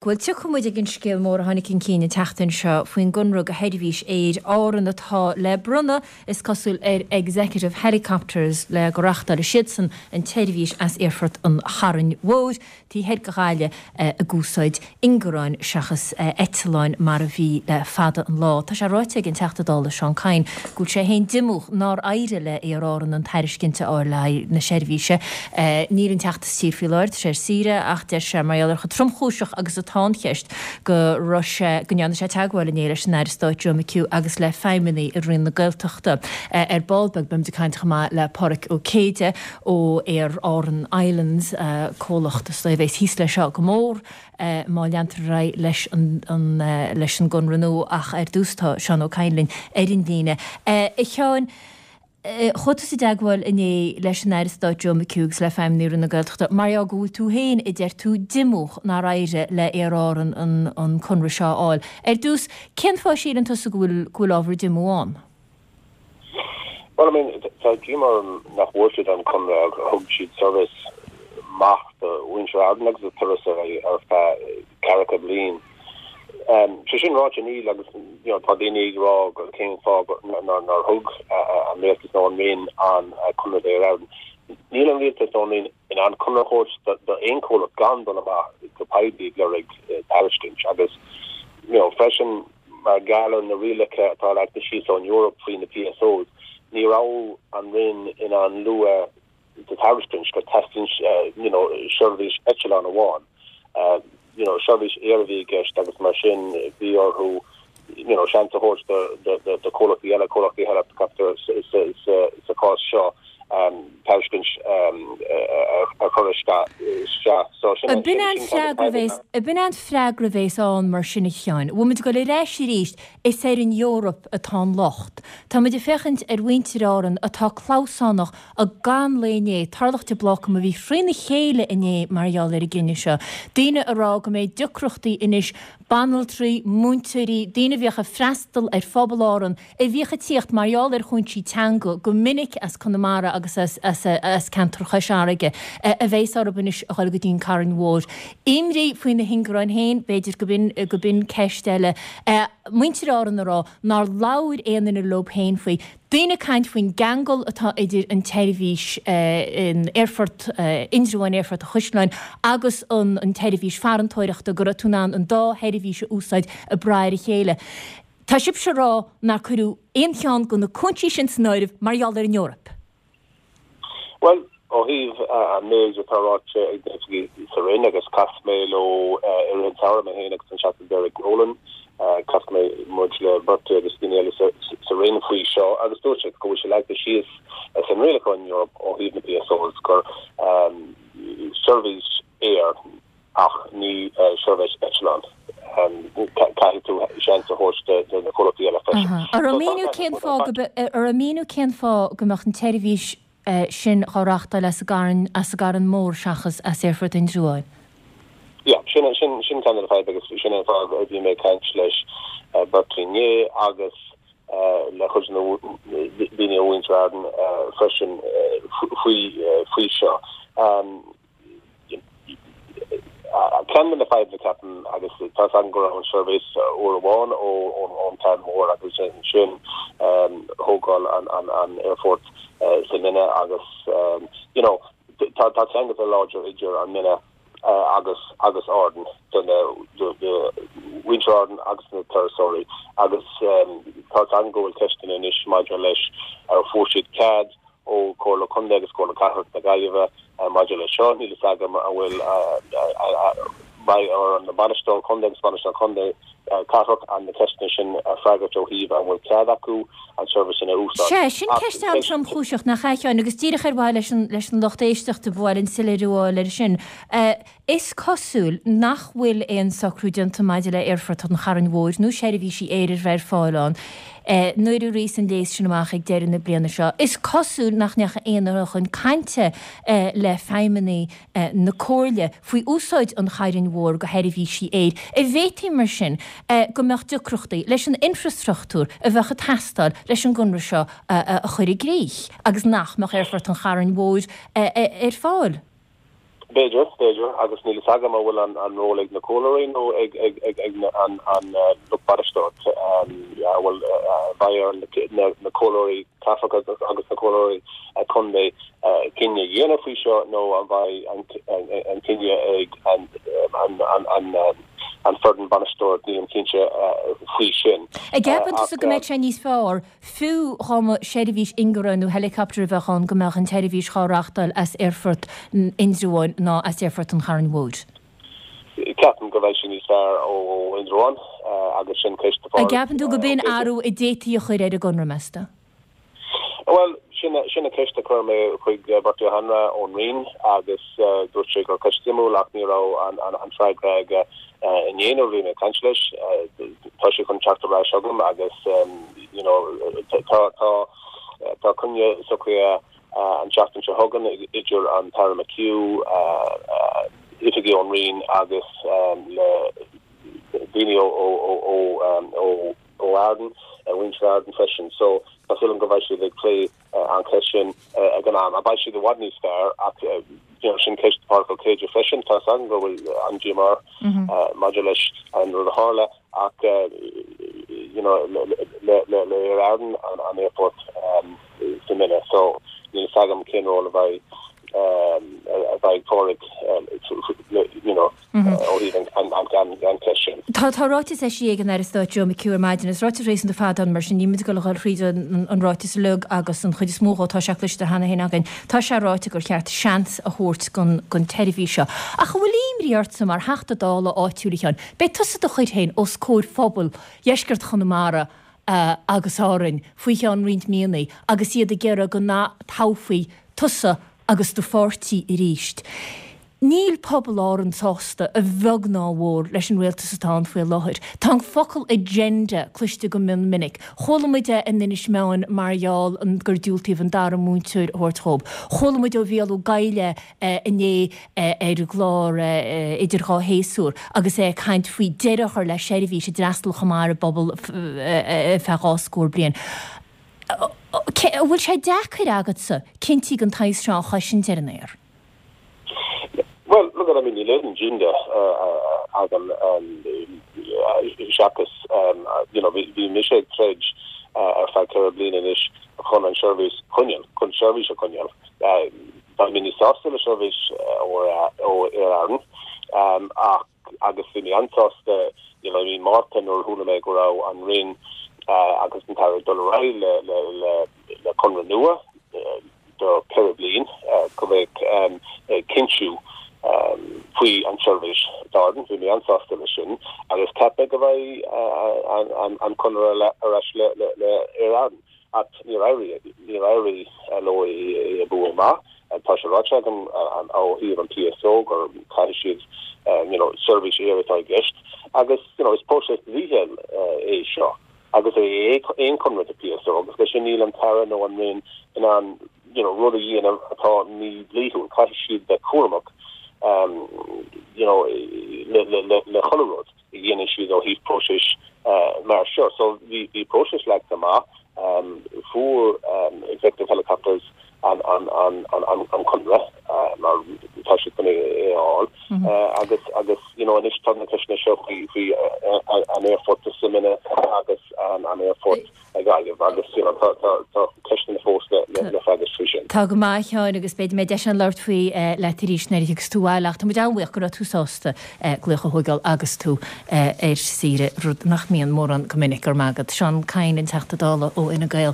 Bhuel, tiocfaidh muid ag an scéal mór a tháinig chun cinn an tseachtain seo faoin gconradh do sheirbhís aeir Árann atá le bronnadh, is cosúil, ar Executive Helicopters le go reáchtálfaidh siadsan an tseirbhís as Aerfort an Chairn Mhóir taobh thoir de Ghaillimh ag úsáid ingearáin seachas eitleáin mar a bhí le fada an lá. Tá sé ráite ag an Teachta Dála Seán Kyne go bhfuil sé féin diomúch nár éirigh le Aer Árann an tairiscint a fháil le haghaidh na seirbhíse. Níl an Teachta sa tír faoi láthair, tá sé ar saoire, ach deir sé, mar gheall ar chomh tromchúiseach agus atá an cheist, go raibh sé, go ndearna sé teagmháil inné leis an Aire Stáit Joe McHugh agus le feidhmeannaigh i Roinn na Gaeltachta. Ar ball beag beimid ag caint chomh maith le Páraic Ó Céide ó Aer Árann Islands, comhlacht is dóigh a bheas thíos leis seo go mór má leantar ar aghaidh leis an leis an gconradh nua ach ar dtús tá Seán Ó Cadhain linn ar an líne. A Sheáin, Chuaigh tusa i dteagmháil inné leis an Aire Stáit Joe McHugh agus le feidhmeannaigh Roinn na Gaeltachta mar gheall go bhfuil tú féin, a deir tú, diomúch nár éirigh le Aer Árann an conradh seo a fháil. Ar dtús, cén fáth a síleann tusa go bhfuil go bhfuil ábhar diomú ann? Well, I mean, tá díomá orm nach bhfuair siad an conradh. Thug siad seirbhís maith do mhuintir Árann agus do turasóirí ar feadh ceathracha bliain. Sé sin ráite níl agus you know tá daoine ag rá go cén fáth nár thug an rialtas nó an Roinn an conradh d'Aer Arann. Níl an rialtas nó an Roinn in ann conradh a thabhairt d'aon chomhlacht gan dul amach go poiblí ag lorg tairiscint agus you know freisin mar gheall ar na rialacha atá leagtha síos ón Eoraip faoi na PSOs ní raibh an Roinn in ann lua sa tairiscint gur teastaíonn you know seirbhís eitleán amháin you know seirbhís aeir a bhí i gceist agus mar sin bhí orthu you know seans a thabhairt do do do chomhlachtaí eile, comhlachtaí helicopter sa chás seo tairiscint a chur isteach. So sin Ab in an freagra a bhéas, ab in an freagra a bhéas ann mar sin a Sheáin? Bhfuil muid ag dul ar ais arís Is ar an Eoraip atá an locht. Tá muid ag féachaint ar mhuintir Árann atá clamhsánach gan lae inné, Tarlach de Blácam a bhí thrína chéile inné mar gheall ar an gcinneadh seo. Daoine ag rá go mbeidh deacrachtaí anois, banaltraí, múinteoirí, daoine a bhíodh ag freastal ar phobal Árann, a bhíodh ag tíocht mar gheall ar chúinsí teanga go minic as Conamara agus as ceantar Chois Fharraige, a bheas orthu anois a dhul go dtí an Carn Mhór. Imní faoi na hingearáin féin, b'fhéidir go b'in ceist eile. Muintir Árann ag rá nár labhair aon duine leo féin faoi. Daoine ag caint faoin gceangal atá idir an tseirbhís in Aerfort Indreabháin, Aerfort an Chaisleáin agus an tseirbhís farantóireachta, go raibh tú in ann an dá sheirbhís a úsáid ag brath ar a chéile. Tá sibhse ag rá nár cuireadh aon cheann de na cúinsí sin san áireamh mar gheall ar an Eoraip. Bhuel, ó thaobh an méid atá ráite ag na hoifigigh sa Roinn, agus chas mé leo i rith an tsamhraidh, mé féin agus an Teachta Derek Nolan, chas mé muid le Bertie agus daoine eile sa Roinn faoi seo agus dúirt siad go bhfuil sé leagtha síos san rialachán Eoraip ó thaobh na PSOs gur seirbhís aeir ach ní seirbhís eitleán. Caithfidh tú seans a thabhairt do na comhlachtaí eile freisin. An raibh míniú cén fáth go an raibh míniú cén fáth go mbeadh an tseirbhís sin á reáchtáil as an gCarn as an gCarn Mór seachas as Aerfort Indreabháin? Yeah, sin sin sin ceann de na fadhb agus sin an fáth a bhí mé ag caint leis Bertie inné agus le cuid de na daoine ó mhuintir Árann freisin faoi faoi seo. Ceann de na fadhbanna, ceapaim, agus tá 's agam go raibh an seirbhís uair amháin ón Charn Mhór agus ansin thógáil an aerfort sa Mine agus you know tá tá ceangal láidir idir an Mine agus agus Árainn do na do mhuintir Árann agus na turasóirí agus tá 's agam go bhfuil ceisteanna anois maidir leis ar fuair siad cead ó Chomhairle Contae agus Comhairle Cathrach na Gaillimhe maidir leis seo. Níl fhios agam an bhfuil beidh ar an bainisteoir contae agus bainisteoir contae cathrach an na ceisteanna sin a freagairt ó thaobh an bhfuil cead acu an seirbhís sin a úsáid. Sea, sin ceist an-tromchúiseach, nach ea, a Sheáin, agus díreach ar mhaithe leis an leis an lucht éisteachta, ba mhaith linn soiléiriú a fháil air sin. Is cosúil nach bhfuil aon socrú déanta maidir le Aerfort an Chairn Mhóir nó seirbhísí aeir a bheith ar fáil ann nuair a rithfeas an léas sin amach ag deireadh na bliana seo. Is cosúil nach ndeachaigh aon duine chun cainte le feidhmeannaigh na Comhairle faoi úsáid an Chairn Mhóir do sheirbhísí aeir. An bhféadfaí mar sin go mbeadh deacrachtaí leis an infreastruchtúr a bheadh ag teastáil leis an gconradh seo a chur i gcrích agus nach mbeadh Aerfort an Chairn Mhóir ar fáil? B'fhéidir, b'fhéidir, agus níl fhios agam an bhfuil an ról ag na comhairleoirí nó ag an lucht bainisteoireachta, an bhfuil, beidh ar na comhairleoirí cathrach agus na comhairleoirí contae cinneadh a dhéanamh faoi seo nó an mbeidh an cinneadh ag an foireann bainisteoireachta, nílim cinnte faoi sin. An gceapann tusa go mbeadh sé níos fearr Fiú dhá mba seirbhís ingearach nó helicopter a bheadh ann go mbeadh an tseirbhís dhá reachtáil as Aerfort Indreabháin ná as Aerfort an Chairn Mhóir. Ceapaim go mbeidh sé níos fearr ó Indreabhán agus sin ceist do An Phádraig gceapann tú go b'in athrú a d'fhéadfaí a chur ar an gconradh, meas tú? Bhuel, sin an ceist a chuir mé chuig Bertie Ó hAnraith ón Roinn agus dúirt sé gur ceist suimiúil ach ní raibh an freagra aige inné nuair a bhí mé ag caint leis. Tá sé chun teacht ar ais chugam agus you know tá tá tá coinne socraithe an tseachtain seo chugainn idir an tAire McHugh, oifigigh ón Roinn agus le daoine ó ó ó ó ó Arden, mhuintir Arden freisin. So tá súil agam go mbeidh siad ag plé an cheist sin ag an am. Beidh siad i bhfad níos fearr ach you know sin ceist Pádraig Ó Céide freisin. Tá 'fhios agam go bhfuil an-díomá air maidir leis an rud a tharla ach you know le le le Aer Arann an aerfort sa Mine so níl 'fhios agam cén ról a bheidh a bheidh Pádraig you know ó thaobh an cheist sin. Tá tá ráiteas eisithe ag an Aire Stáit Joe McHugh ar maidin. Is ráiteas réasúnta fada ann mar sin níl muid ag dul a dhul thríd an ráiteas uilig agus an chuid is mó dhó tá sé cloiste cheana féin againn. Tá sé ráite gur cheart seans a thabhairt don don tseirbhís seo. Ach an bhfuil imní ortsa mar Theachta Dála áitiúil a Sheáin, beidh tusa do chur féin os comhair phobal dheisceart Chonamara agus Árainn faoi cheann roinnt míonna agus iad ag iarraidh go n-atoghfaí tusa agus do pháirtí arís. Níl pobal Árann sásta, a bheag ná a mhór, leis an rialtas atá ann faoi láthair. Tá an focal 'agenda' cloiste go mion minic. Chuala muid é in Inis Meáin mar gheall gur diúltaíodh an dara múinteoir a thabhairt dhóibh. Chuala muid ó Mhícheál Ó Cadhla é inné ar an gclár Idir Dhá Shéasúr agus é ag caint faoi deireadh a chur le seirbhís a d'fhreastail chomh maith ar an bpobal ar feadh 20 scór bliain. An bhfuil sé deacair agatsa cinntí den tsaghas seo a chosaint ar an aer? Bhuel, look, I mean, níl aon agenda agam seachas, you know, bhí mise ag troid ar feadh 4 bliana anois chun an seirbhís a choinneáil, chun seirbhís a choinneáil. Beidh mé níos sásta le seirbhís ó Aer Arann ach agus bhí mé an-sásta, you know, i mí Márta nuair a chuala mé go raibh an Roinn agus an tAire ag dul ar aghaidh le le conradh nua. do 4 bliain go mbeadh cinntiú faoi an tseirbhís d'Árainn. Bhí mé an-sásta leis sin agus cheap mé go mbeidh an conradh ar ais le Aer Arann ach níor éirigh, níor éirigh leo é a bhualadh amach. Tá sé ráite agam ó thaobh an PSO gur caithfidh siad you know seirbhís aeir atá i gceist agus you know is próiseas dlíthiúil é seo. agus é aon chonradh do PSO agus leis sin níl an tAire nó an Roinn in ann you know rud a dhéanamh atá mídhlíthiúil. Caithfidh siad bheith cúramach you know le le le le chuile rud a dhéanann siad ó thaobh próiseas mar seo. So bhí bhí próiseas leagtha amach, fuair Executive Helicopters an an conradh mar tá siad chun é a fháil agus agus you know anois tá na ceisteanna seo faoi faoi an aerfort sa Mine agus an an aerfort i Gaillimh agus you know tá tá tá ceisteanna fós le le le freagairt faoi sin. Tá go maith a Sheáin agus beidh mé deis ann labhairt faoi leat arís nuair a thiocfas tú abhaile ach tá muid an-bhuíoch go raibh tú sásta glaoch a thóigeáil agus tú ar saoire, rud nach mbíonn mórán go minic. Go raibh maith agat. Seán Kyne, an Teachta Dála ó Fhine Gael.